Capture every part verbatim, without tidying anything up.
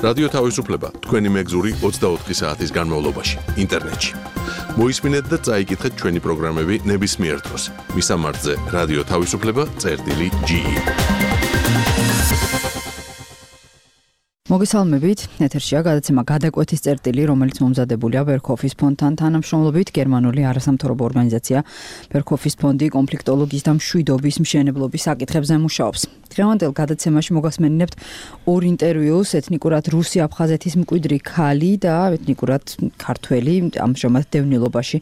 რადიო თავისუფლება თქვენი მეგზური ოცდაოთხი საათის განმავლობაში ინტერნეტში. მოისმინეთ და წაიკითხეთ ჩვენი პროგრამები ნებისმიერ დროს. მისამართზე რადიო თავისუფლება წერტილი ჯი ი. მოგესალმებით, ეთერშია გადაცემა გადაკვეთის წერტილი, რომელიც მომზადებულია ბერქოფის ფონდთან თანამშრომლობით. გერმანული არასამთავრობო ორგანიზაცია ბერქოფის ფონდი კონფლიქტოლოგიის და მშვიდობის მშენებლობის საკითხებზე მუშაობს. დღევანდელ გადაცემაში მოგასმენინებთ ორ ინტერვიუს, ეთნიკურად რუსი აფხაზეთის მკვიდრი ქალი და ეთნიკურად ქართველი, ამჟამად დევნილობაში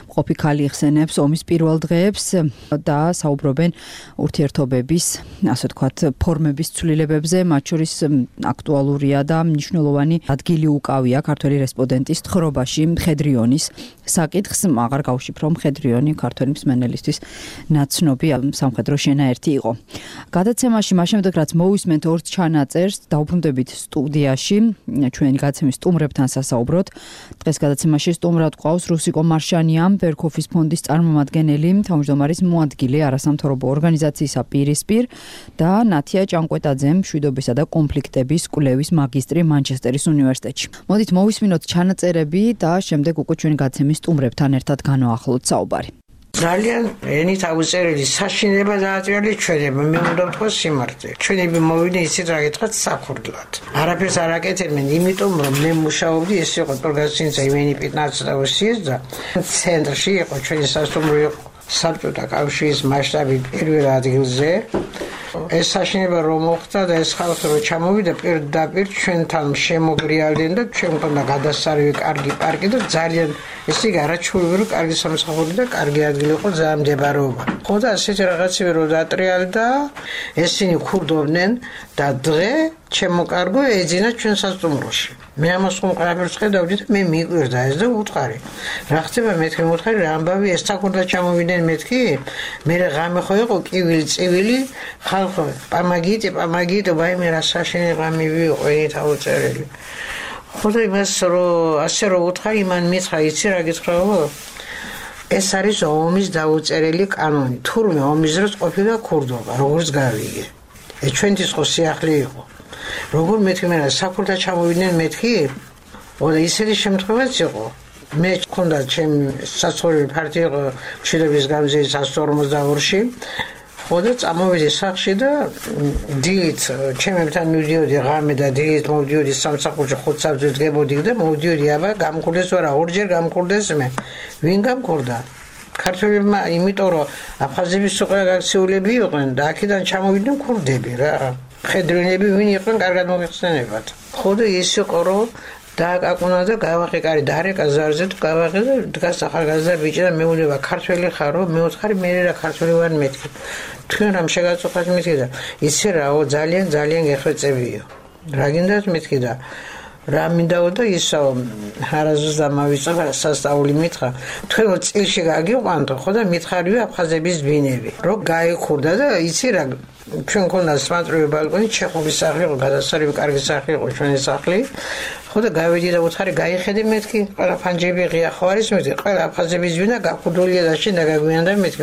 მყოფი ქალი იხსენებს ომის პირველ დღეებს და საუბრობენ ურთიერთობების, ასე ვთქვათ, ფორმების ცვლილებებზე, მათ შორის აქტუალურია და მნიშვნელოვანი ადგილი უკავია ქართველი რესპონდენტის თხრობაში მხედრიონის საკითხს. აღარ გავშიფრო, მხედრიონი ქართველი მსმენელისთვის ნაცნობი სამხედრო შენაერთი იყო. გადაცემაში მას შემდეგ რაც მოვისმენთ ორ ჩანაწერს, დავბრუნდებით სტუდიაში ჩვენი გადაცემის სტუმრებთან სასაუბროთ. დღეს გადაცემაში სტუმრად გვყავს რუსიკო მარშანია, ბერქოფის ფონდის წარმომადგენელი, თავმჯდომარის მოადგილე არასამთავრობო ორგანიზაციისა პირისპირ და ნათია ჭანკვეტაძე, მშვიდობისა და კონფლიქტების კვლევის მაგისტრი მანჩესტერის უნივერსიტეტში. მოდით მოვისმინოთ ჩანაწერები და შემდეგ უკვე ჩვენი გადაცემის სტუმრებთან ერთად განვაახლოთ საუბარი. ძალიან ენით აუწერელი საშინება დააჭერილი ჩვენებმა, მე უნდა ვთქვა სიმართლე. ჩვენები მოვიდნენ ისეთ რა გითხრათ საფუძვლად. არაფერს არ აკეთებდნენ, იმიტომ რომ მე მუშაობდი, ეს იყო ორგანიზაცია იმენი პიტნაცდაოსიეს და ცენტრში იყო ჩვენი სასტუმრო საბჭოთა კავშირის მასშტაბით პირველ ადგილზე. ეს საშინება რომ მოხდა და ეს ხალხი რომ ჩამოვიდა პირდაპირ ჩვენთან შემოგრიალდნენ და ჩვენ მქონდა გადასარევი კარგი პარკი და ძალიან ეს იგი არაჩვეულებრივი კარგი სამსახური და კარგი ადგილი იყო ძალიან მდებარეობა. ხო და ასეთი რაღაცები რომ დატრიალდა, ესენი ქურდობდნენ და დღე ჩემო კარგო ეძინა ჩვენ სასტუმროში. მე ამას ხომ ყველაფერს ხედავდი და მე მიგვირდა ეს და უთხარი. რა ხდება მეთქი მოთხარი რა ამბავი ეს თაკურდა ჩამოვიდნენ მეთქი? მე ღამე ხო იყო კივილი წივილი ხალხო პამაგიტი პამაგიტი ვაიმე რა საშინება მივიღო ეს აუწერელი. ხო და იმას რომ ასე რომ უთხარი მან მითხრა იცი რა გითხრაო? ეს არის ომის დაუწერელი კანონი. თურმე ომის დროს ყოფილა ქურდობა, როგორც გავიგე. ეს ჩვენთვის ხო სიახლე იყო. როგორ მეთქი მე რა საფულთა ჩამოვიდნენ მეთქი? ოდა ისეთი შემთხვევაც იყო. მე მქონდა ჩემი საცხოვრებელი ფარტი იყო მშვიდობის გამზირის εκατს ორმოცდაორში. ხოდა წამოვიდი სახლში და დილით ჩემებთან მივდიოდი ღამე და დილით მოვდიოდი სამსახურში ხუთსაბჭოს დგებოდი და მოვდიოდი აბა გამქურდეს ვარა ორჯერ გამქურდეს მე. ვინ გამქურდა? ქართველებმა, იმიტომ რომ აფხაზების უკვე გაქციულები იყვნენ და აქედან ჩამოვიდნენ ქურდები რა. მხედრინები ვინ იყვნენ კარგად მოგეხსენებათ. ხო და ის იყო რომ დააკაკუნა და გავახე კარი დარეკა ზარზე თუ გავახე და დგას ახალგაზრდა ბიჭი და მეუბნება ქართველი ხარო? მე ვთხარი მე რა ქართველი ვარ მეთქი. თქვენ რამ შეგაწუხათ მეთქი და იცი რაო ძალიან ძალიან გეხვეწებიო. რა გინდათ მეთქი და რა მინდაო და ისო არაზუს და მავიწვა სასწაული მითხრა. თქვენ წილში გაგიყვანთო ხო და მითხარივე აფხაზების ბინები. რომ გაიქურდა და იცი რა ჩვენ ქონდა სპანტროვი ბალკონი, ჩეხური სახლი იყო, გადასარევი კარგი სახლი იყო ჩვენი სახლი. ხო და გავედი და უთხარი გაიხედე მეთქი, ყველა ფანჯები ღია ხო არის მეთქი, ყველა აფხაზების ბინა გაკუდულია და შენ დაგაგვიანდა მეთქი.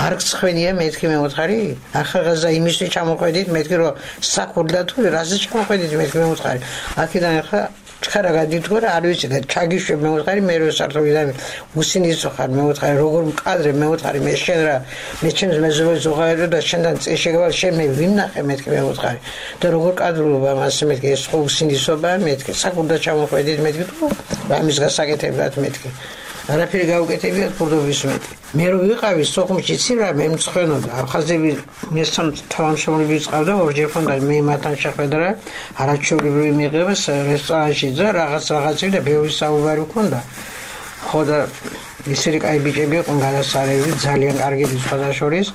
არ გცხენია მეთქი მე უთხარი. ახალგაზრდა იმისთვის ჩამოყვედით მეთქი რომ საქურდა თუ რაზე ჩამოყვედით მეთქი მე უთხარი. აქედან ახლა ჩქარა გადითქო რა არ ვიცი და ჩაგიშვებ მე უთხარი მე რო სარტოვიდან უსინისო ხარ მე უთხარი როგორ მყადრე მე უთხარი მე შენ რა მე ჩემს მეზობელს უღაერო და შენთან წეშეგვალ შენ მე ვინახე მეთქი მე უთხარი და როგორ კადრულობა მას მეთქი ეს ხო უსინისობა მეთქი საკურდა ჩამოყვედით მეთქი თუ ამის გასაკეთებლად მეთქი არაფერი გაუკეთებიათ ფურდობის მეთქი მე რო ვიყავი სოხუმში ცი რა მე მცხენოდა აფხაზები მესამ თავმშრომლები წავდა ორჯერ ხონდა მე მათთან შეხვედრა არაჩვეულებრივი მიღებას რესტორანში და რაღაც რაღაცები და ბევრი საუბარი მქონდა ხო და ისეთი კაი ბიჭები იყვნენ გადასარევი ძალიან კარგი სხვადასხვის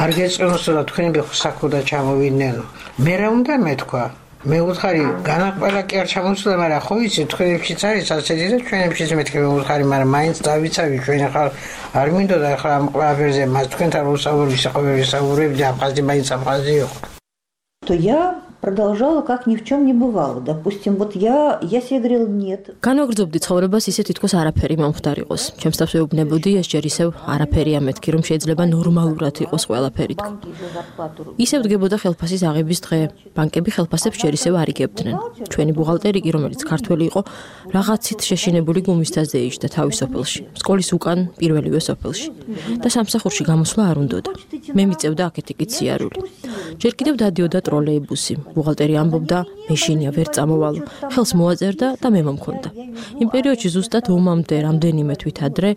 არ გეწონოსო და თქვენები ხსაქუდა ჩამოვიდნენ მე რა უნდა მეთქვა მე უთხარი განაყველა კი არ ჩამოსულა მაგრამ ხო იცი თქვენებშიც არის ასეთი და ჩვენებშიც მეთქი მე უთხარი მაგრამ მაინც დავიცავი ჩვენ ახლა არ მინდოდა ახლა ამ ყველაფერზე მას თქვენთან ვსაუბრობ ვისაუბრებ ვისაუბრებ და აფხაზი მაინც აფხაზი იყო то я продолжала как ни в чем не бывало. Допустим, вот я, я себе говорила нет. განვაგრძობდი ცხოვრებას ისე თითქოს არაფერი მომხდარ იყოს. ჩემს თავს ვეუბნებოდი ეს ჯერ ისევ არაფერია მეთქი, რომ შეიძლება ნორმალურად იყოს ყველაფერი თქო. ისევ დგებოდა ხელფასის აღების დღე. ბანკები ხელფასებს ჯერ ისევ არ იგებდნენ. ჩვენი ბუღალტერი კი, რომელიც ქართველი იყო, რაღაცით შეშინებული გუმისთას დაიჯდა თავის სოფელში. სკოლის უკან პირველივე სოფელში. და სამსახურში გამოსვლა არ უნდოდა. მე მიწევდა აქეთ იქით სიარული. ჯერ კიდევ დადიოდა ტროლეიბუსი. ბუღალტერი ამბობდა, მეშინია ვერ წამოვალო. ხელს მოაწერდა და მე მომქონდა. იმ პერიოდში ზუსტად ომამდე რამდენიმე თვით ადრე,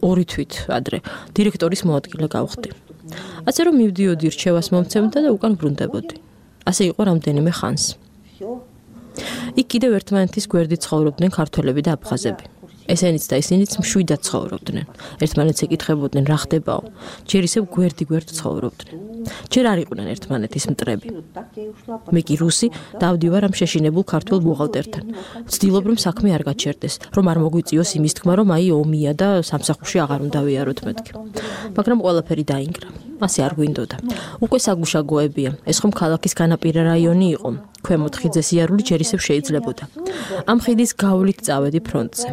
ორი თვით ადრე, დირექტორის მოადგილე გავხდი. ასე რომ მივდიოდი რჩევას მომცემდა და უკან ბრუნდებოდი. ასე იყო რამდენიმე ხანს. იქ კიდევ ერთმანეთის გვერდით ცხოვრობდნენ ქართველები და აფხაზები. ესენიც და ისინიც მშვიდად ცხოვრობდნენ. ერთმანეთს ეკითხებოდნენ რა ხდებაო. ჯერ ისევ გვერდი-გვერდ ცხოვრობდნენ. ჯერ არ იყვნენ ერთმანეთის მტრები. მე კი რუსი დავდივარ ამ შეშინებულ ქართულ ბუღალტერთან. ვცდილობ რომ საქმე არ გაჩერდეს, რომ არ მოგვიწიოს იმის თქმა, რომ აი ომია და სამსახურში აღარ უნდა ვიაროთ მეთქი. მაგრამ ყველაფერი დაინგრა. ასე არ გვინდოდა. უკვე საგუშაგოებია. ეს ხომ ქალაქის განაპირა რაიონი იყო. ქვემოთ ხიდზე სიარული ჯერ ისევ შეიძლებოდა. ამ ხიდის გავლით წავედი ფრონტზე.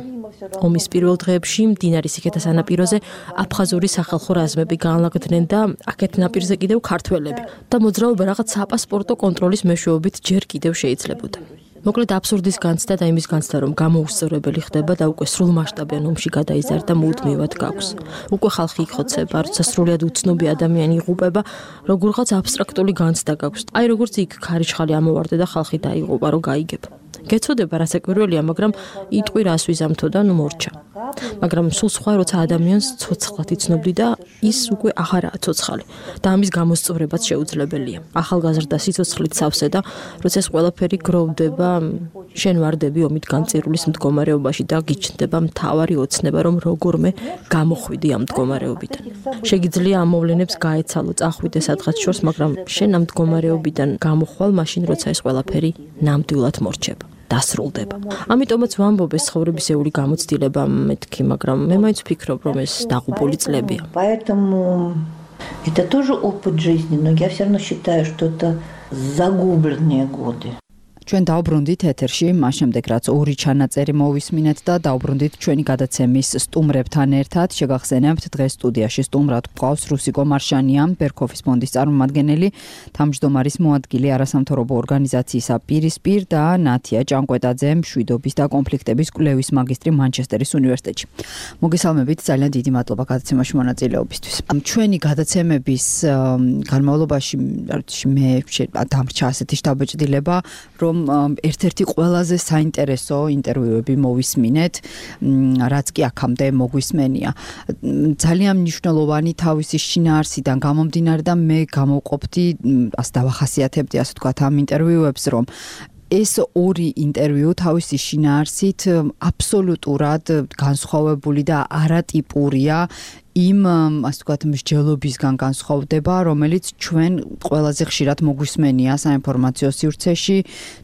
ომის პირველ დღეებში მდინარის იქეთა სანაპიროზე აფხაზური სახალხო რაზმები გაანლაგდნენ და აქეთ ნაპირზე კიდევ ქართველები და მოძრაობა რაღაც საპასპორტო კონტროლის მეშვეობით ჯერ კიდევ შეიძლებოდა. მოკლედ აბსურდის განცდა და იმის განცდა, რომ გამოუსწორებელი ხდება და უკვე სრულმასშტაბიან ომში გადაიზარდა მუდმივად გაქვს. უკვე ხალხი იქხოცება, როცა სრულიად უცნობი ადამიანი იღუპება, როგორღაც აბსტრაქტული განცდა გაქვს. აი როგორც იქ ქარიშხალი ამოვარდა და ხალხი დაიღუპა, რომ გაიგებ. გეცოდება რა საკურველია, მაგრამ იტყვი რას ვიზამთო და ნუ მორჩა. მაგრამ სულ სხვა როცა ადამიანს ცოცხლად იცნობდი და ის უკვე აღარაა ცოცხალი და ამის გამოსწორებაც შეუძლებელია. ახალგაზრდა სიცოცხლით სავსე და როცა ეს ყველაფერი გროვდება, შენ ვარდები ომით განწირულის მდგომარეობაში და გიჩნდება მთავარი ოცნება, რომ როგორმე გამოხვიდი ამ მდგომარეობიდან. შეგიძლია ამ მოვლენებს გაეცალო, წახვიდე სადღაც შორს, მაგრამ შენ ამ მდგომარეობიდან გამოხვალ მაშინ, როცა ეს ყველაფერი ნამდვილად მორჩება. დასრულდება. ამიტომაც ვამბობ ეს ცხოვრებისეული გამოცდილება მეთქი, მაგრამ მე მაინც ვფიქრობ, რომ ეს დაღუპული წლებია. Поэтому это тоже опыт жизни, но я все равно считаю, что это загубленные годы. ჩვენ დავბრუნდით ეთერში, მას შემდეგ რაც ორი ჩანაწერი მოვისმინეთ და დავბრუნდით ჩვენი გადაცემის სტუმრებთან ერთად. შეგახსენებთ, დღეს სტუდიაში სტუმრად გვყავს რუსიკო მარშანია, ბერქოფის ფონდის წარმომადგენელი, თავმჯდომარის მოადგილე არასამთავრობო ორგანიზაციისა პირისპირ და ნათია ჭანკვეტაძე, მშვიდობის და კონფლიქტების კვლევის მაგისტრი მანჩესტერის უნივერსიტეტში. მოგესალმებით, ძალიან დიდი მადლობა გადაცემაში მონაწილეობისთვის. ჩვენი გადაცემების განმავლობაში მე დამრჩა ასეთი შთაბეჭდილება, რომ ერთ-ერთი ყველაზე საინტერესო ინტერვიუები მოვისმინეთ, რაც კი აქამდე მოგვისმენია. ძალიან მნიშვნელოვანი თავისი შინაარსიდან გამომდინარე და მე გამოვყოფდი, ასე დავახასიათებდი, ასე ვთქვათ, ამ ინტერვიუებს, რომ ეს ორი ინტერვიუ თავისი შინაარსით აბსოლუტურად განსხვავებული და არატიპურია იმ, ასე ვთქვათ, მსჯელობისგან განსხვავდება, რომელიც ჩვენ ყველაზე ხშირად მოგვისმენია საინფორმაციო სივრცეში,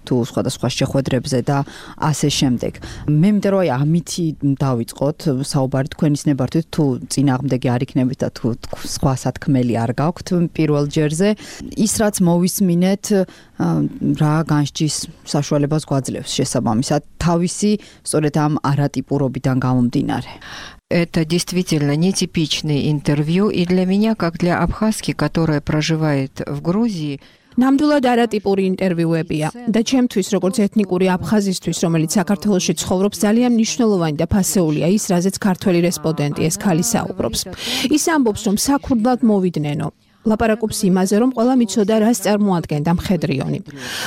თუ სხვადასხვა შეხვედრებზე და ასე შემდეგ. მე მინდა რომ აი ამითი დავიწყოთ საუბარი თქვენის ნებართვით, თუ წინააღმდეგი არ იქნებით და თუ სხვა სათქმელი არ გაქვთ პირველ ჯერზე. ის რაც მოვისმინეთ, რა განსჯის საშუალებას გვაძლევს შესაბამისად თავისი სწორედ ამ არატიპურობიდან გამომდინარე. Это действительно нетипичное интервью, и для меня, как для абхазки, которая проживает в Грузии, ნამდვილად არატიპური ინტერვიუებია და ჩემთვის, როგორც ეთნიკური აფხაზისთვის, რომელიც საქართველოში ცხოვრობს, ძალიან მნიშვნელოვანი და ფასეულია ის, რაზეც ქართველი რესპონდენტი ეს ქალი საუბრობს. ის ამბობს, რომ საქურდლად მოვიდნენ. ლაპარაკობს იმაზე, რომ ყველა მიცოდა, რას წარმოადგენდა მხედრიონი.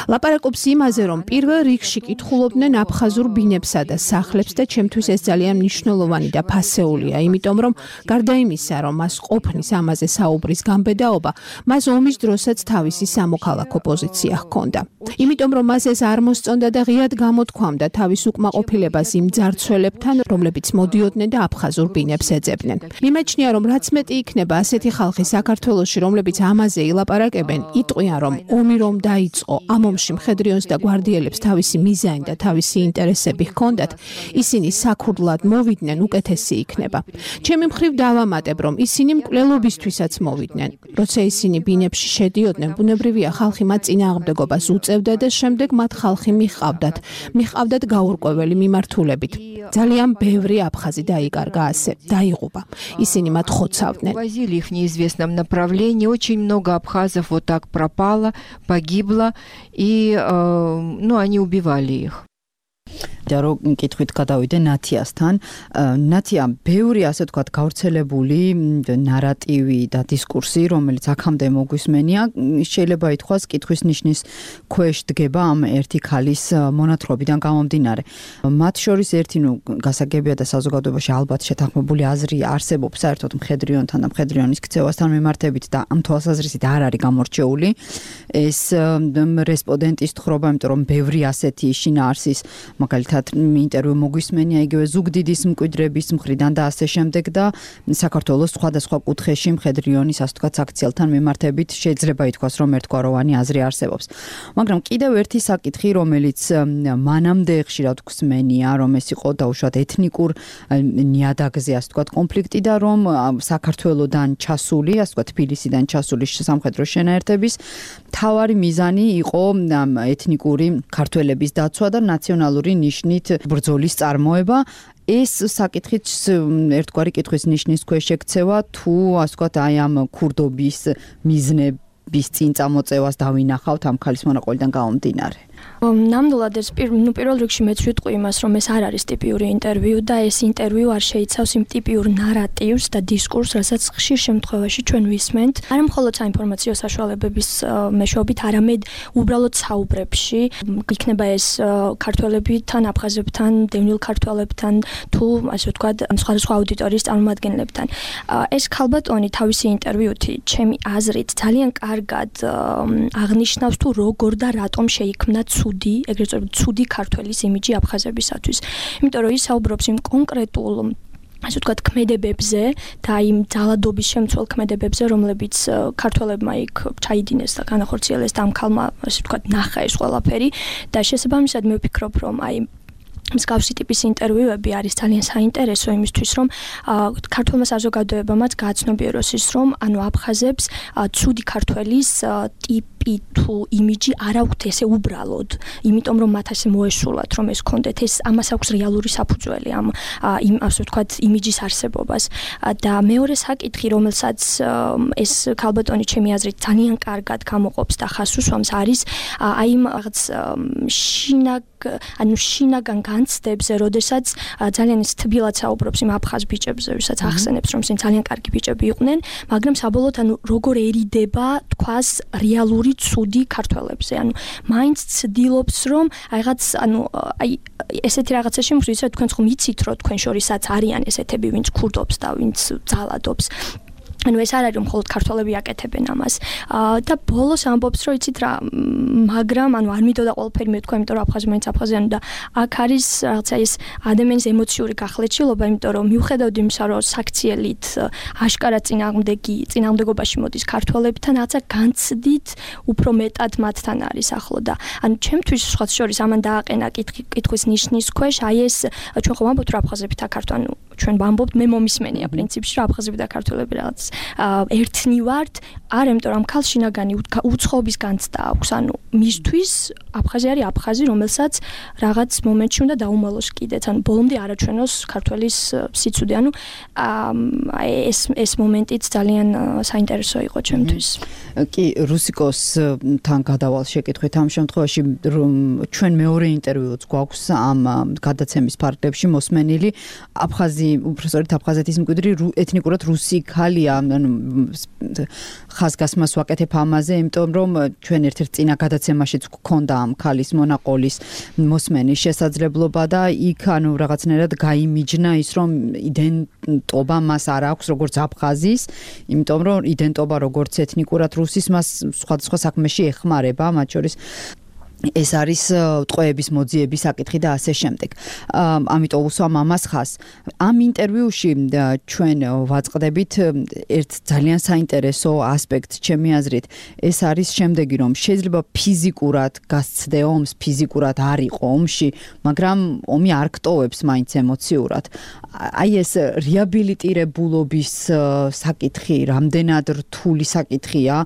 ლაპარაკობს იმაზე, რომ პირველ რიგში კითხულობდნენ აფხაზურ ბინებსა და სახლებს და ჩემთვის ეს ძალიან მნიშვნელოვანი და ფასეულია, იმიტომ რომ გარდა იმისა, რომ მას ყოფნის ამაზე საუბრის გამბედაობა, მას ომის დროსაც თავისი სამოქალაქო პოზიცია ჰქონდა. იმიტომ რომ მას ეს არ მოსწონდა და ღიად გამოთქვამდა თავის უკმაყოფილებას იმ ძარცველებთან, რომლებიც მოდიოდნენ და აფხაზურ ბინებს ეძებდნენ. მიმაჩნია, რომ რაც მეტი იქნება ასეთი ხალხი საქართველოში, რომლებიც ამაზე ილაპარაკებენ, იტყვიან, რომ ომი რომ დაიწყო, ამ ომში მხედრიონს და გვარდიელებს თავისი მიზანი და თავისი ინტერესები ჰქონდათ, ისინი საქურდლად მოვიდნენ, უკეთესი იქნება. ჩემი მხრივ დავამატებ, რომ ისინი მკვლელობისთვისაც მოვიდნენ. როცა ისინი ბინებში შედიოდნენ, ბუნებრივია ხალხი მათ წინააღმდეგობას უწევდა მოწევდათ და შემდეგ მათ ხალხი მიჰყავდათ. მიჰყავდათ გაურკვეველი მიმართულებით. ძალიან ბევრი აფხაზი დაიკარგა ასე, დაიღუპა. ისინი მათ ხოცავდნენ. Возили их в неизвестном направлении. Очень много абхазов вот так пропало, погибло, и ну, они убивали их. და რო კითხვით გადავიდე ნათიასთან, ნათია ბევრი ასე ვთქვათ გავრცელებული ნარატივი და დისკურსი, რომელიც აქამდე მოგვისმენია, შეიძლება ითქვას კითხვის ნიშნის ქვეშ დგება ამ ერთი ქალის მონათხრობიდან გამომდინარე. მათ შორის ერთი ნუ გასაგებია და საზოგადოებაში ალბათ შეთანხმებული აზრი არსებობს საერთოდ მხედრიონთან და მხედრიონის ქცევასთან მიმართებით და ამ თვალსაზრისით არ არის გამორჩეული ეს რესპონდენტის თხრობა, იმიტომ რომ ბევრი ასეთი შინაარსის მაგალითად ინტერვიუ მოგვისმენია იგივე ზუგდიდის მკვიდრების მხრიდან და ასე შემდეგ და საქართველოს სხვადასხვა კუთხეში მხედრიონის ასე ვთქვათ აქციელთან მიმართებით შეიძლება ითქვას რომ ერთგვაროვანი აზრი არსებობს. მაგრამ კიდევ ერთი საკითხი რომელიც მანამდე ხშირად გვსმენია რომ ეს იყო დაუშვათ ეთნიკურ ნიადაგზე ასე ვთქვათ კონფლიქტი და რომ საქართველოსდან ჩასული ასე ვთქვათ თბილისიდან ჩასული სამხედრო შენაერთების მთავარი მიზანი იყო ეთნიკური ქართველების დაცვა და ნაციონალური ნიშნით ბრძოლის წარმოება. ეს საკითხიც ერთგვარი კითხვის ნიშნის ქვეშ ექცევა თუ ასე ვთქვათ აი ამ ქურდობის მიზნების წინ წამოწევას დავინახავთ ამ ქალის მონაყოლიდან გამომდინარე. ნამდვილად ეს ნუ პირველ რიგში მეც ვიტყვი იმას რომ ეს არ არის ტიპიური ინტერვიუ და ეს ინტერვიუ არ შეიცავს იმ ტიპიურ ნარატივს და დისკურსს, რასაც ხშირ შემთხვევაში ჩვენ ვისმენთ. არა მხოლოდ საინფორმაციო საშუალებების მეშვეობით, არამედ უბრალოდ საუბრებში, იქნება ეს ქართველებთან, აფხაზებთან, დევნილ ქართველებთან თუ ასე ვთქვათ, სხვადასხვა აუდიტორიის წარმომადგენლებთან. ეს ქალბატონი თავისი ინტერვიუთი, ჩემი აზრით, ძალიან კარგად აღნიშნავს თუ როგორ და რატომ შეიქმნა ცუდი, ეგრეთ წოდებული ცუდი ქართველის იმიჯი აფხაზებისათვის. იმიტომ რომ ის საუბრობს იმ კონკრეტულ ასე ვთქვათ ქმედებებზე და იმ ძალადობის შემცველ ქმედებებზე, რომლებიც ქართველებმა იქ ჩაიდინეს და განახორციელეს და ამ ქალმა ასე ვთქვათ ნახა ეს ყველაფერი და შესაბამისად მე ვფიქრობ რომ აი მსგავსი ტიპის ინტერვიუები არის ძალიან საინტერესო იმისთვის, რომ ქართველმა საზოგადოებამაც გააცნობიეროს ის, რომ ანუ აფხაზებს ცუდი ქართველის ტიპი თუ იმიჯი არ აქვთ ესე უბრალოდ, იმიტომ რომ მათ ასე მოესულათ, რომ ეს კონდეთ ეს ამას აქვს რეალური საფუძველი ამ იმ ასე ვთქვათ იმიჯის არსებობას. და მეორე საკითხი, რომელსაც ეს ქალბატონი ჩემი აზრით ძალიან კარგად გამოყოფს და ხაზს უსვამს, არის აი იმ რაღაც შინაგ ანუ შინაგან განცდებზე, როდესაც ძალიან ის თბილად საუბრობს იმ აფხაზ ბიჭებზე, ვისაც ახსენებს, რომ ისინი ძალიან კარგი ბიჭები იყვნენ, მაგრამ საბოლოოდ ანუ როგორ ერიდება თქვას რეალური ცუდი ქართველებზე. ანუ მაინც ცდილობს, რომ რაღაც ანუ აი ესეთი რაღაცაში მღვდლისა თქვენ ხომ იცით, რომ თქვენ შორისაც არიან ესეთები, ვინც ქურდობს და ვინც ძალადობს. ანუ ეს არ არის რომ მხოლოდ ქართველები აკეთებენ ამას. და ბოლოს ამბობს რომ იცით რა, მაგრამ ანუ არ მიდოდა ყველაფერი მეთქვა, იმიტომ რომ აფხაზი მაინც აფხაზიანი და აქ არის რაღაცა ის ადამიანის ემოციური გახლეჩილობა, იმიტომ რომ მიუხედავად იმისა, რომ საქციელით აშკარად წინააღმდეგი წინააღმდეგობაში მოდის ქართველებთან, რაღაცა განცდით უფრო მეტად მათთან არის ახლო და ანუ ჩემთვის სხვა შორის ამან დააყენა კითხვის ნიშნის ქვეშ აი ეს ჩვენ ხომ ამბობთ რომ აფხაზები და ქართველი, ანუ ჩვენ ვამბობთ, მე მომისმენია პრინციპში რომ აფხაზები და ქართველები რაღაც ერთნი ვართ, არ იმიტომ რომ ქალ შინაგანი უცხოობის განცდა აქვს, ანუ მისთვის აფხაზი არის აფხაზი, რომელსაც რაღაც მომენტში უნდა დაუმალოს კიდეც, ანუ ბოლომდე არაჩვენოს ქართველის სიცუდი, ანუ ეს ეს მომენტიც ძალიან საინტერესო იყო ჩემთვის. კი, რუსიკოსთან გადავალ შეკითხვით ამ შემთხვევაში რომ ჩვენ მეორე ინტერვიუც გვაქვს ამ გადაცემის ფარგლებში მოსმენილი აფხაზი, უბრალოდ აფხაზეთის მკვიდრი ეთნიკურად რუსი ქალია, ანუ ხაზგასმას ვაკეთებ ამაზე, იმიტომ რომ ჩვენ ერთ-ერთ წინა გადაცემაშიც გვქონდა ამ ქალის მონაყოლის მოსმენის შესაძლებლობა და იქ ანუ რაღაცნაირად გაიმიჯნა ის, რომ იდენტობა მას არ აქვს როგორც აფხაზის, იმიტომ რომ იდენტობა როგორც ეთნიკურად რუსის მას სხვადასხვა საქმეში ეხმარება, მათ შორის ეს არის ტყვეების მოძიების საკითხი და ასე შემდეგ. ამიტომ უსვამ ამას ხას. ამ ინტერვიუში ჩვენ ვაწყდებით ერთ ძალიან საინტერესო ასპექტს, ჩემი აზრით, ეს არის შემდეგი, რომ შეიძლება ფიზიკურად გასცდე ომს, ფიზიკურად არ იყო ომში, მაგრამ ომი არ გტოვებს მაინც ემოციურად. აი ეს რეაბილიტირებულობის საკითხი, რამდენად რთული საკითხია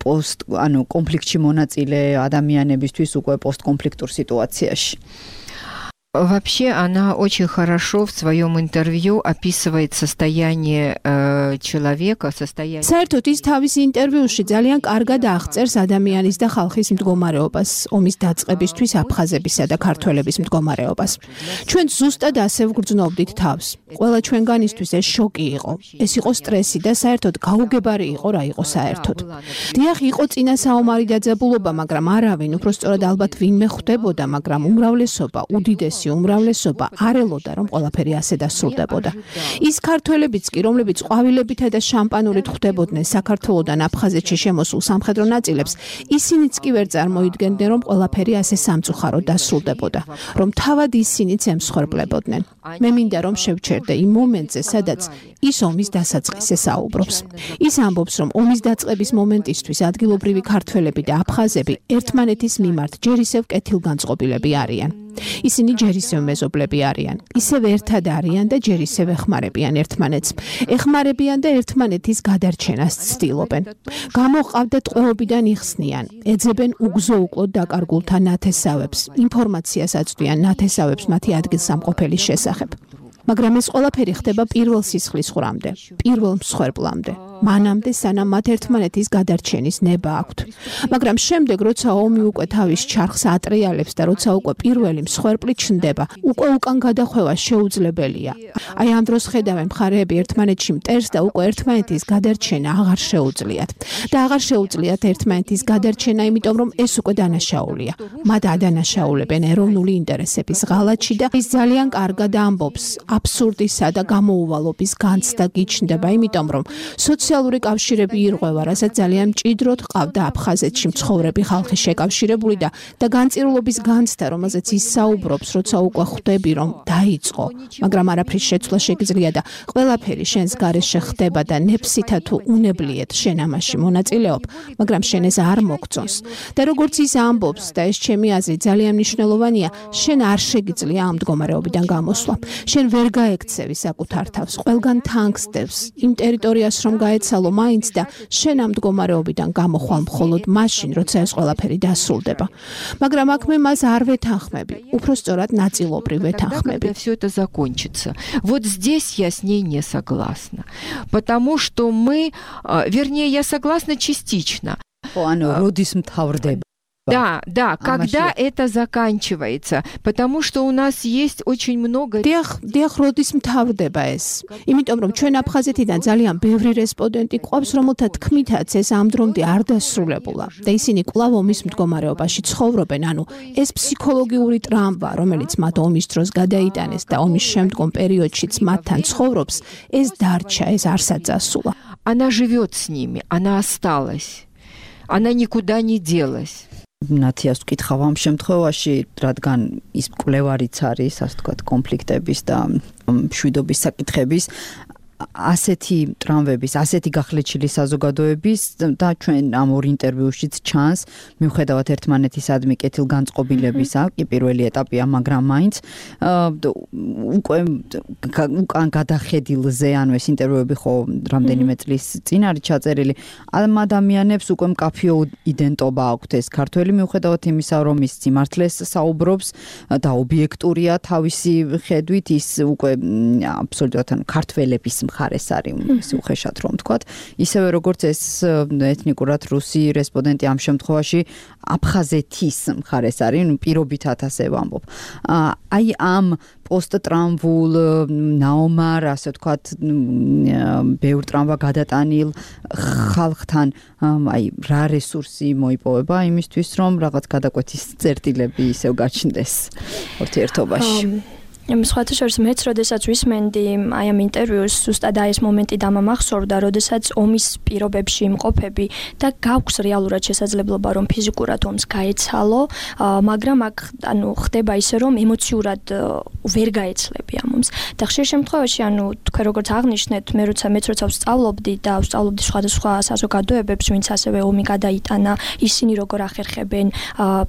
პოსტ, ანუ კონფლიქტში მონაწილე ადამიანებისთვის უკვე постконфликтურ ситуацияში. Вообще она очень хорошо в своем интервью описывает состояние э, человека, состояние. საერთოდ ის თავის ინტერვიუში ძალიან კარგად აღწერს ადამიანის და ხალხის მდგომარეობას, ომის დაწყებისთვის აფხაზებისა და ქართველების მდგომარეობას. ჩვენ ზუსტად ასე ვგრძნობდით თავს. ყველა ჩვენგანისთვის ეს შოკი იყო. ეს იყო სტრესი და საერთოდ გაუგებარი იყო რა იყო საერთოდ. დიახ, იყო წინა საომარი დაძაბულობა, მაგრამ არავინ, უბრალოდ ალბათ ვინმე ხვდებოდა, მაგრამ უმრავლესობა, უდიდესი უმრავლესობა არ ელოდა რომ ყველაფერი ასე დასრულდებოდა. ის ქართველებიც კი რომლებიც ყვავილებითა და შამპანურით ხვდებოდნენ საქართველოსდან აფხაზეთში შემოსულ სამხედრო ნაწილებს, ისინიც კი ვერ წარმოიდგენდნენ რომ ყველაფერი ასე სამწუხაროდ დასრულდებოდა, რომ თავად ისინიც ემსხვერპლებოდნენ. მე მინდა რომ შევჩერდე იმ მომენტზე, სადაც ის ომის დასაწყისზე საუბრობს. ის ამბობს რომ ომის დაწყების მომენტისთვის ადგილობრივი ქართველები და აფხაზები ერთმანეთის მიმართ ჯერ ისევ კეთილგანწყობილები არიან. ისინი ჯერ ისევ მეზობლები არიან, ისევ ერთად არიან და ჯერ ისევ ეხმარებიან ერთმანეთს. ეხმარებიან და ერთმანეთის გადარჩენას ცდილობენ. გამოყავდათ ტყვეობიდან იხსნიან, ეძებენ უგზო-უკლოდ დაკარგულთა ნათესავებს, ინფორმაციას აწვდიან ნათესავებს მათი ადგილსამყოფელის შესახებ. მაგრამ ეს ყველაფერი ხდება პირველ სისხლის ხრამდე, პირველ მსხვერპლამდე. მანამდე სანამ მათ ერთმანეთის გადარჩენის ნება აქვთ. მაგრამ შემდეგ როცა ომი უკვე თავის ჩარხს ატრიალებს და როცა უკვე პირველი მსხვერპლი ჩნდება, უკვე უკან გადახვევა შეუძლებელია. აი ამ დროს ხედავენ მხარეები ერთმანეთში მტერს და უკვე ერთმანეთის გადარჩენა აღარ შეუძლიათ. და აღარ შეუძლიათ ერთმანეთის გადარჩენა, იმიტომ რომ ეს უკვე დანაშაულია. მათ ადანაშაულებენ ეროვნული ინტერესების ღალატში და ის ძალიან კარგად ამბობს აბსურდისა და გამოუვალობის განცდა გიჩნდება, იმიტომ რომ სოციალური კავშირები ირღვევა, რასაც ძალიან მჭიდროდ ყავდა აფხაზეთში მცხოვრები ხალხი შეკავშირებული და და განწირულობის განცდა, რომელზეც ის საუბრობს, როცა უკვე ხვდები, რომ დაიწყო, მაგრამ არაფრის შეცვლა შეგიძლია და ყველაფერი შენს გარეშე ხდება და ნებსითა თუ უნებლიეთ შენ ამაში მონაწილეობ, მაგრამ შენ ეს არ მოგწონს. და როგორც ის ამბობს და ეს ჩემი აზრით ძალიან მნიშვნელოვანია, შენ არ შეგიძლია ამ მდგომარეობიდან გამოსვლა. შენ ვერ გაექცევი საკუთარ თავს, ყველგან თანგსდევს იმ ტერიტორიას რომ გაეცალო მაინც და შენ ამ მდგომარეობიდან გამոխვალ მხოლოდ მაშინ, როცა ეს ყველაფერი დასრულდება. მაგრამ აქ მე მას არ ვეთანხმები, უფრო სწორად ნაწილობრივ ვეთანხმები. Когда все это закончится. Вот здесь я с ней не согласна, потому что мы, вернее, я согласна частично. ანუ როდის მთავრდება? Да, да, когда это заканчивается, потому что у нас есть очень много. დიახ, დიახ, როდის მთავრდება ეს? იმიტომ რომ ჩვენ აფხაზეთიდან ძალიან ბევრი რესპონდენტი გვყავს, რომელთა თქმითაც ეს ამ დრომდე არ დასრულებულა და ისინი კვლავ ომის მდგომარეობაში ცხოვრობენ, ანუ ეს ფსიქოლოგიური ტრამვა, რომელიც მათ ომის დროს გადაიტანეს და ომის შემდგომ პერიოდშიც მათთან ცხოვრობს, ეს დარჩა, ეს არსად დასულა. Она живет с ними, она осталась. Она никуда не делась. ნათიას ვკითხავ ამ შემთხვევაში, რადგან ის კვლევარიც არის, ასე ვთქვათ, კონფლიქტების და მშვიდობის საკითხების, ასეთი ტრამვების, ასეთი გახლეჩილი საზოგადოების და ჩვენ ამ ორ ინტერვიუშიც ჩანს, მიუხედავად ერთმანეთისადმი კეთილგანწყობილებისა, კი პირველი ეტაპია, მაგრამ მაინც უკვე უკან გადახედილზე, ანუ ეს ინტერვიუები ხო რამდენიმე წლის წინ არის ჩაწერილი, ამ ადამიანებს უკვე მკაფიო იდენტობა აქვთ ეს ქართველი, მიუხედავად იმისა, რომ ის სიმართლეს საუბრობს და ობიექტურია თავისი ხედვით, ის უკვე აბსოლუტურად ქართველების მხარეს არის, უხეშად რომ ვთქვათ, ისევე როგორც ეს ეთნიკურად რუსი რესპონდენტი ამ შემთხვევაში აფხაზეთის მხარეს არის, ნუ პირობითად ასე ვამბობ. აი ამ პოსტტრამვულ ნაომარ, ასე ვთქვათ, ბევრ ტრამვა გადატანილ ხალხთან, აი რა რესურსი მოიპოვება იმისთვის, რომ რაღაც გადაკვეთის წერტილები ისევ გაჩნდეს ურთიერთობაში. სხვათა შორის მეც როდესაც ვისმენდი აი ამ ინტერვიუს ზუსტად აი ეს მომენტი დამამახსოვრდა, როდესაც ომის პირობებში იმყოფები და გაქვს რეალურად შესაძლებლობა რომ ფიზიკურად ომს გაეცალო, მაგრამ აქ ანუ ხდება ისე რომ ემოციურად ვერ გაეცლები ამ ომს. და ხშირ შემთხვევაში ანუ თქვენ როგორც აღნიშნეთ, მე როცა მეც როცა ვსწავლობდი და ვსწავლობდი სხვადასხვა საზოგადოებებს, ვინც ასევე ომი გადაიტანა, ისინი როგორ ახერხებენ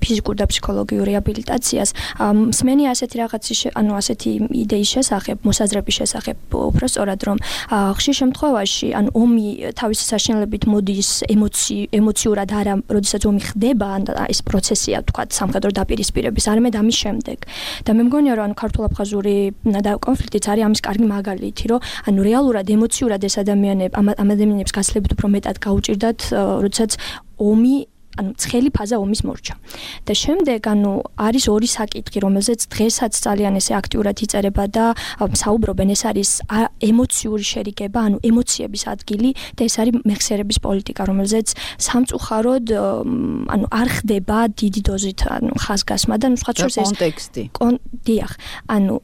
ფიზიკურ და ფსიქოლოგიურ რეაბილიტაციას, მსმენი ასეთი რაღაცის ანუ ასეთი იდეის შესახებ, მოსაზრების შესახებ, უფრო სწორად რომ ხშირ შემთხვევაში ან ომი თავისი საშინელებით მოდის ემოციურად არა, როდესაც ომი ხდება, ან ეს პროცესია თქვა სამხედრო დაპირისპირების, არამედ ამის შემდეგ. და მე მგონია რომ ანუ ქართულ-აფხაზური კონფლიქტიც არის ამის კარგი მაგალითი, რომ ანუ რეალურად ემოციურად ეს ადამიანები ამ ადამიანებს გასლებით უფრო მეტად გაუჭირდათ, როდესაც ომი ანუ ცხელი ფაზა ომის მორჩა. და შემდეგ ანუ არის ორი საკითხი, რომელზეც დღესაც ძალიან ესე აქტიურად იწერება და საუბრობენ, ეს არის ემოციური შერიგება, ანუ ემოციების ადგილი და ეს არის მეხსიერების პოლიტიკა, რომელზეც სამწუხაროდ ანუ არ ხდება დიდი დოზით ანუ ხაზგასმა და ნუ სხვა შორის ეს კონტექსტი. დიახ, ანუ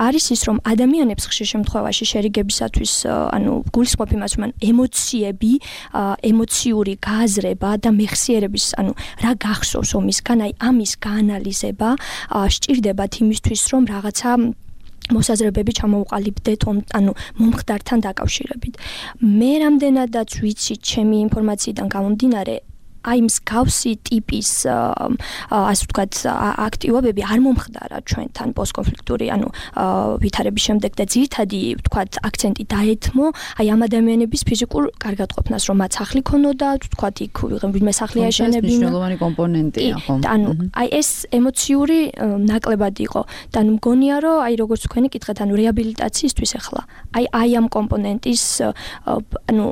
არის ის რომ ადამიანებს ხშირ შემთხვევაში შერიგებისათვის ანუ გულისხმობ იმას, რომ ემოციები, ემოციური გააზრება და მეხსიერების ანუ რა გახსოვს ომისგან, აი ამის გაანალიზება სჭირდებათ იმისთვის, რომ რაღაცა მოსაზრებები ჩამოუყალიბდეთ ანუ მომხდართან დაკავშირებით. მე რამდენადაც ვიცი ჩემი ინფორმაციიდან გამომდინარე, აი მსგავსი ტიპის ასე ვთქვათ აქტივობები არ მომხდარა ჩვენთან პოსტკონფლიქტური ანუ ვითარების შემდეგ და ძირითადი ვთქვათ აქცენტი დაეთმო აი ამ ადამიანების ფიზიკურ კარგატყოფნას, რომ მათ სახლი ქონოდა, ვთქვათ იქ ვიღიმე სახლი აშენებინა. მნიშვნელოვანი კომპონენტია ხო? ანუ აი ეს ემოციური ნაკლებად იყო და ანუ მგონია რომ აი როგორც თქვენი კითხეთ, ანუ რეაბილიტაციისთვის ახლა აი აი ამ კომპონენტის ანუ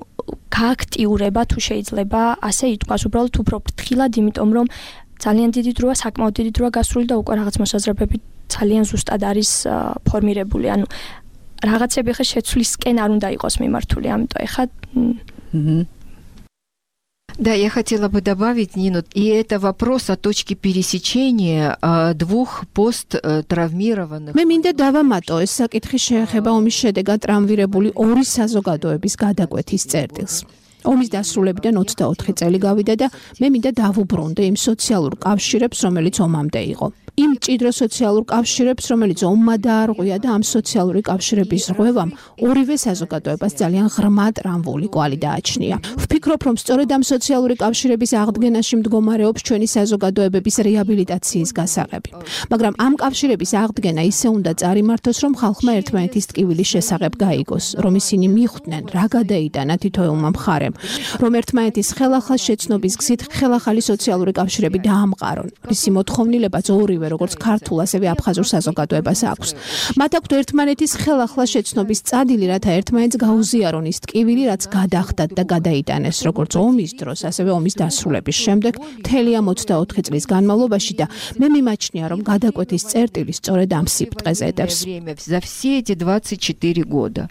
გააქტიურება თუ შეიძლება ასე ითქვას, უბრალოდ უფრო ფრთხილად, იმიტომ რომ ძალიან დიდი დროა, საკმაოდ დიდი დროა გასული და უკვე რაღაც მოსაზრებები ძალიან ზუსტად არის ფორმირებული. ანუ რაღაცები ხა შეცვლისკენ არ უნდა იყოს მიმართული, амიტომ ეხა Да, я хотела бы добавить, Нину, и это вопрос о точке пересечения а, двух посттравмированных. მე მინდა დავამატო ეს საკითხი შეეხება ომის შედეგად ტრამვირებული ორი საზოგადოების გადაკვეთის წერტილს. ომის დასრულებიდან ოცდაოთხი წელი გავიდა და მე მინდა დავუბრუნდე იმ სოციალურ კავშირებს, რომელიც ომამდე იყო. იმ მჭიდრო სოციალურ კავშირებს, რომელიც ომმა დაარღვია და ამ სოციალური კავშირების რღვევამ ორივე საზოგადოებას ძალიან ღრმა ტრამვული კვალი დააჩნია. ვფიქრობ, რომ სწორედ ამ სოციალური კავშირების აღდგენაში მდგომარეობს ჩვენი საზოგადოებების რეაბილიტაციის გასაღები. მაგრამ ამ კავშირების აღდგენა ისე უნდა წარიმართოს, რომ ხალხმა ერთმანეთის ტკივილის შესახებ გაიგოს, რომ ისინი მიხვდნენ, რა გადაიტანა თითოეულმა მხარემ, რომ ერთმანეთის ხელახალ შეცნობის გზით ხელახალი სოციალური კავშირები დაამყარონ. მისი მოთხოვნილებაც ორივე როგორც ქართულ, ასევე აფხაზურ საზოგადოებას აქვს. მათ აქვთ ერთმანეთის ხელახლა შეცნობის წადილი, რათა ერთმანეთს გაუზიარონ ის ტკივილი, რაც გადახდათ და გადაიტანეს როგორც ომის დროს, ასევე ომის დასრულების შემდეგ, მთელი ამ ოცდაოთხი წლის განმავლობაში და მე მიმაჩნია, რომ გადაკვეთის წერტილი სწორედ ამ სიბრტყეზე ედებს. За все эти двадцать четыре года.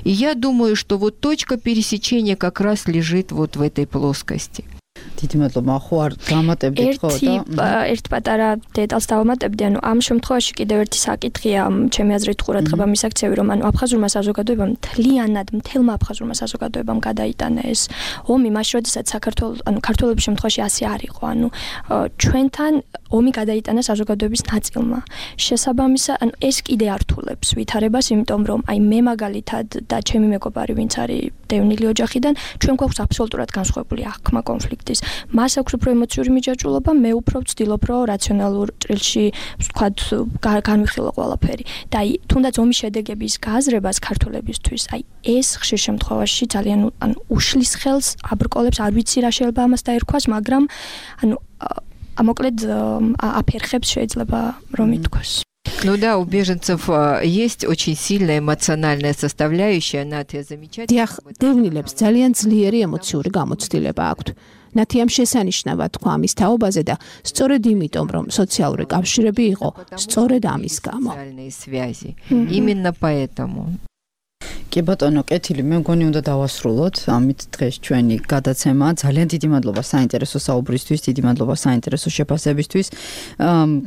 И я думаю, что вот точка пересечения как раз лежит вот в этой плоскости. დიდი მადლობა, ხო არ გამატებდით ხო და ერთ პატარა დეტალს დავამატებდი, ანუ ამ შემთხვევაში კიდევ ერთი საკითხია, ჩემი აზრით ყურადღება მისაქცევი, რომ ანუ აფხაზურმა საზოგადოებამ მთლიანად მთელმა აფხაზურმა საზოგადოებამ გადაიტანა ეს ომი, მაშინ როდესაც საქართველოს ანუ ქართველების შემთხვევაში ასე არ იყო, ანუ ჩვენთან ომი გადაიტანა საზოგადოების ნაწილმა. შესაბამისად, ანუ ეს კიდე ართულებს ვითარებას, იმიტომ რომ აი მე მაგალითად და ჩემი მეგობარი, ვინც არის დევნილი ოჯახიდან, ჩვენ გვაქვს აბსოლუტურად განსხვავებული აღქმა კონფლიქტის. მას აქვს უფრო ემოციური მიჯაჭვულობა, მე უფრო ვცდილობ, რომ რაციონალურ ჭრილში, ვთქვათ, განვიხილო ყველაფერი. და აი, თუნდაც ომის შედეგების გააზრებას ქართველებისთვის, აი, ეს ხშირ შემთხვევაში ძალიან ანუ უშლის ხელს, აბრკოლებს, არ ვიცი რა შეიძლება ამას დაერქვას, მაგრამ ანუ მოკლედ აფერხებს შეიძლება რომ ითქვას. Ну да, у беженцев есть очень сильная эмоциональная составляющая, Натя замечательно. დიახ, დევნილებს ძალიან ძლიერი ემოციური გამოცდილება აქვთ. ნათი ამ შესანიშნავად თქვა ამის თაობაზე და სწორედ იმიტომ, რომ სოციალური კავშირები იყო სწორედ ამის გამო. Социальные связи. Именно поэтому. კი ბატონო, კეთილი, მე მგონი უნდა დავასრულოთ. ამით დღეს ჩვენი გადაცემა. ძალიან დიდი მადლობა საინტერესო საუბრისთვის, დიდი მადლობა საინტერესო შეფასებისთვის.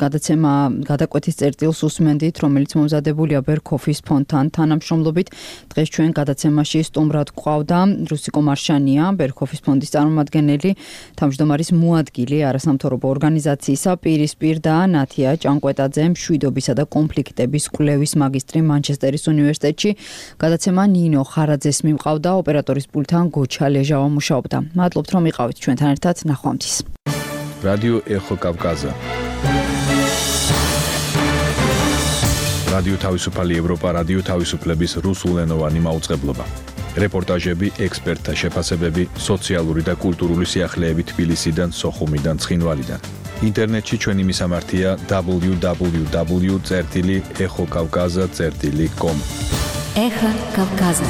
გადაცემა გადაკვეთის წერტილს უსმენდით, რომელიც მომზადებულია ბერქოფის ფონდთან თანამშრომლობით. დღეს ჩვენ გადაცემაში სტუმრად გვყავდა რუსიკო მარშანია, ბერქოფის ფონდის წარმომადგენელი, თავმჯდომარის მოადგილე არასამთავრობო ორგანიზაციისა პირისპირ და ნათია ჭანკვეტაძე, მშვიდობისა და კონფლიქტების კვლევის მაგისტრი მანჩესტერის უნივერსიტეტში. გადაცემა ნინო ხარაძეს მიმყავდა, ოპერატორის პულტთან გოჩა ლეჟავა მუშაობდა. მადლობთ რომ იყავით ჩვენთან ერთად, ნახვამდის. რადიო ეხო კავკაზა. რადიო თავისუფალი ევროპა, რადიო თავისუფლების რუსულენოვანი მაუწყებლობა. რეპორტაჟები, ექსპერტთა შეფასებები, სოციალური და კულტურული სიახლეები თბილისიდან, სოხუმიდან, ცხინვალიდან. ინტერნეტში ჩვენი მისამართია დაბლიუ დაბლიუ დაბლიუ წერტილი ეხო კავკაზა წერტილი კომ. Эхо Кавказа.